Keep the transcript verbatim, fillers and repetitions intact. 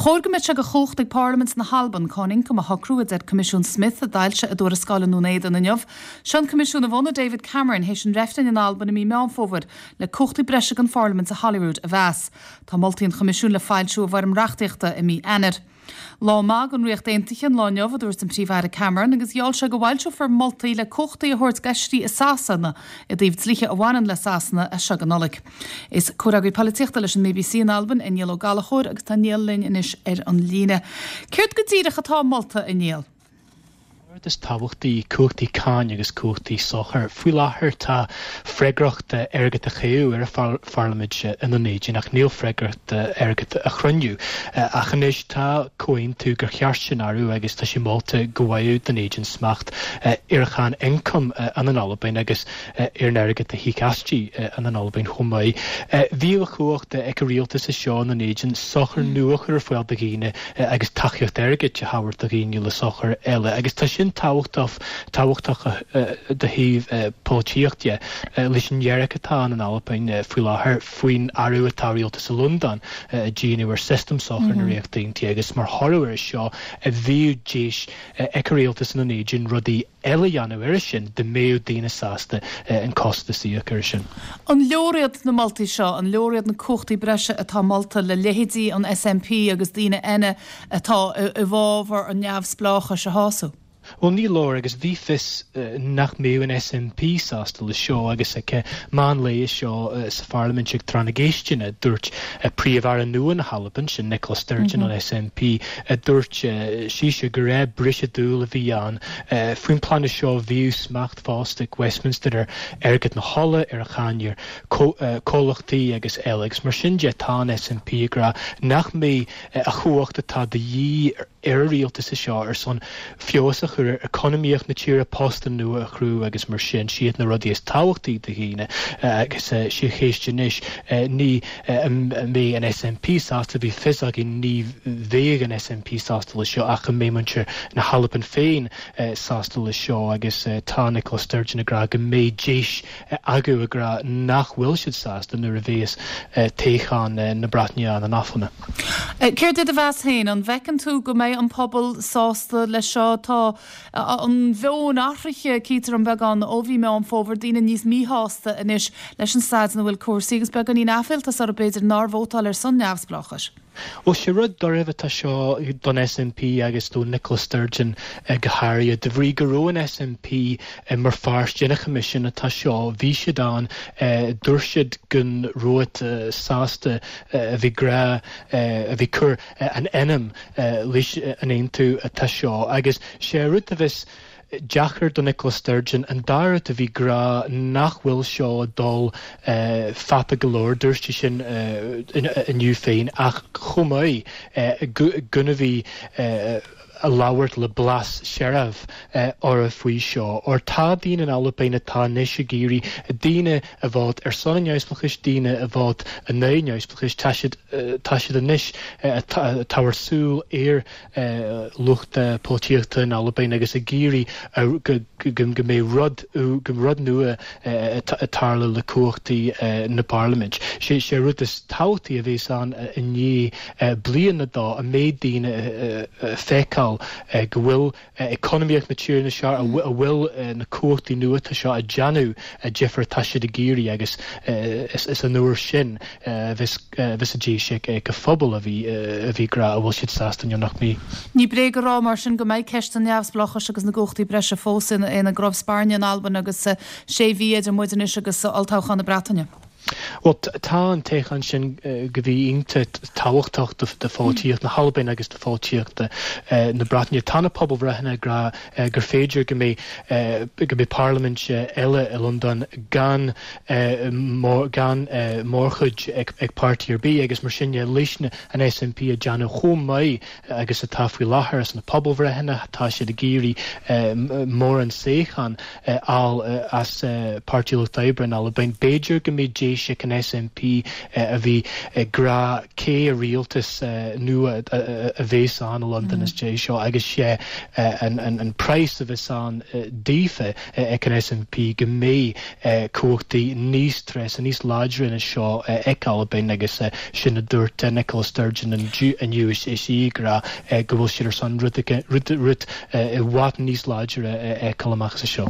chóir go mbeadh sé de chumhacht ag Parlaimint na hAlban cáin ioncaim a shocrú a deir Coimisiún Smith a d'fhoilsigh a dtuarascáil i nDún Éideann inniu. Seo an Coimisiún a bhunaigh David Cameron théis an reifrinn in Albain i mí Meán Fómhair le cumhachtaí breise don Pharlaimint i Holyrood a mheas. Tá moltaí an Choimisiúin le foilsiú i bhfoirm reachtaíochta i mí Eanáir. Lá maith don Ríocht Aontaithe an lá inniu a dúirt an Príomh-Aire Cameron agus gheall sé go bhfoilseofar moltaí le cumhachtaí a thabhairt d'fheisirí i Sasana i dtaobh dlíthe a bhaineann le Sasana as seo go Nollaig. Is comhfhreagraí polaitíochta leis an BBC in Albain é Niall Ó Gallchóir agus tá Niall linn anois ar an líne. Céard go díreach atá molta a Niall? Rud is tábhachtaí cumhachtaí cáin agus cumhachtaí sochair. Faoi láthair tá freagracht airgead a chaitheamh ar an pharlaimint i nDún Éideann ach níl freagracht airgead a chruinniú. Ach anois tá comhaontú gur cheart sin athrú agus tá sé molta go bhfaigheadh Dún Éideann smacht ar an cháin ioncaim in an Albain agus ar an airgead a thig aisti in an Albain chomh maith. Bhíodh a chumhacht ag an rialtas seo in Dún Éideann sochar nua a chur ar fáil do dhaoine agus tacaíocht airgid a thabhairt do dhaoine le sochar eile agus tá sin tábhachtach tábhachtach do thaobh polaitíochta leis an ngéarchéim atá in Albain faoi láthair faoin athrú atá rialtas i Londain déanamh ar system sochar na Ríochta Aontaithe agus mar thoradh ar seo a bhíodh deis ag rialtas na nÉideann rudaí eile dhéanamh ar sin dá mbeadh daoine sásta an costas a íoc ar sin. An leor iad na moltaí seo, an leor iad na cumhachtaí breise atá molta le leithéidí an SNP agus daoine eile atá i bhfabhar an neamhspleáchais a shásamh. Well ní leor agus bhí fios nach mbeadh an SNP sásta le seo agus ag meán lae seo sa Pharlaimint ag tráth na gceisteanna dúirt príomh-aire nua na hAlban sin Nicola Sturgeon an SNP dúirt sise go raibh briseadh dúl a bhí ann faoin plean seo bhíodh smacht fosta ag Westminster ar airgead na hola ar a cháin ar comhlachtaí agus eile agus mar sin de tá an SNP ag rá nach mbeidh a chumhacht atá de dhíth ar rialtas seo ar son feabhas a chur ar economíocht na tíre postanna nua a chruthú agus mar sin siad na rudaí is tábhachtaí do dhaoine agus sé cheist anois ní mbeidh an SNP sásta bhí fios againn ní bheidh an SNP sásta le seo ach an mbeidh muintir na hAlban féin sásta le seo agus tá Nicola Sturgeon ag rá go mbeidh deis acu ag rá nach bhfuil siad sásta nuair a bheas toghchán na Breataine an Albain. Céard é do mheas féin an bhfeiceann tú go mbeidh an pobal sásta le seo tá an meon athraithe cítear an beagán ó bhí Meán Fómhair daoine níos míshásta anois leis an staid ina bhfuil cúrsaí agus beagáinín aiféaltas orthu b'fhéidir nár vótáil ar son neamhspleáchais. Well sé rud doirbh atá seo don SNP agus do Nicola Sturgeon go háirithe de bhrí go raibh an SNP mar pháirt den choimisiún atá seo bhí siad ann dúirt siad go raibh sásta a bhí grá a bhí cur an ainm leis an aontú atá seo agus sé rud a bheas deacair do Nicola Sturgeon an dá rud a bhí ag rá nach bhfuil seo dul fada go leor dúirt sí sin inniu féin ach chomh maith gona bhí a labhairt le blas searbh orthu faoi seo. Or tá daoine in Albain atá anois ag iarraidh daoine a bhod ar son an neamhspleáchais daoine a bhod a naoi neamhspleáchais tá siad tá siad anois tabhairt súil ar lucht polaitíochta in Albain agus ag iarraidh go go mbeidh rud go rud nua tarla le cumhachtaí na Parlaimint. sé sé rud is tábhachtaí a bheas ann i ndiaidh bliain dá a mbeidh daoine feiceáil go bhfuil economíocht na tíre seo a bhfuil na cumhachtaí nua seo a déanamh difear tá siad ag iarraidh agus is an uair sin bheas a deis ag go phobal a bhí a bhí ag rá a bhfuil siad sásta nó nach mbeidh. Ní bréag a rá mar sin go mbeidh ceist an neamhspleáchais agus na gcumhachtaí breise fós ina gcnámh spairne in Albain agus sé mhí idir muid anois agus olltoghchán na Breataine. Well tá an toghchán sin go bhí iontach tábhachtach do pholaitíocht na hAlbain agus do pholaitíocht na Breataine. Tá na pobalbhreitheanna ag rá gur féidir go mbeidh go mbeidh parlaimint eile i Londain gan gan mórchuid ag ag páirtí ar bith agus mar sin leis an SNP a déanamh chomh maith agus atá faoi láthair as na pobalbhreitheanna tá siad ag iarraidh mórán suíochán fháil as Páirtí Lucht Oibre in Albain. B'fhéidir go mbeidh deis spéis ag an SNP a bhí ag rá cé rialtas nua a bheas ann i Londain is é seo agus sé an price a bheas ann daofa ag an SNP go mbeidh cumhachtaí níos treise níos láidre ina seo ag Albain agus sin a dúirt Nicola Sturgeon inniu is í ag rá go bhfuil siad ar son rud rud i bhfad níos láidre ag amach seo.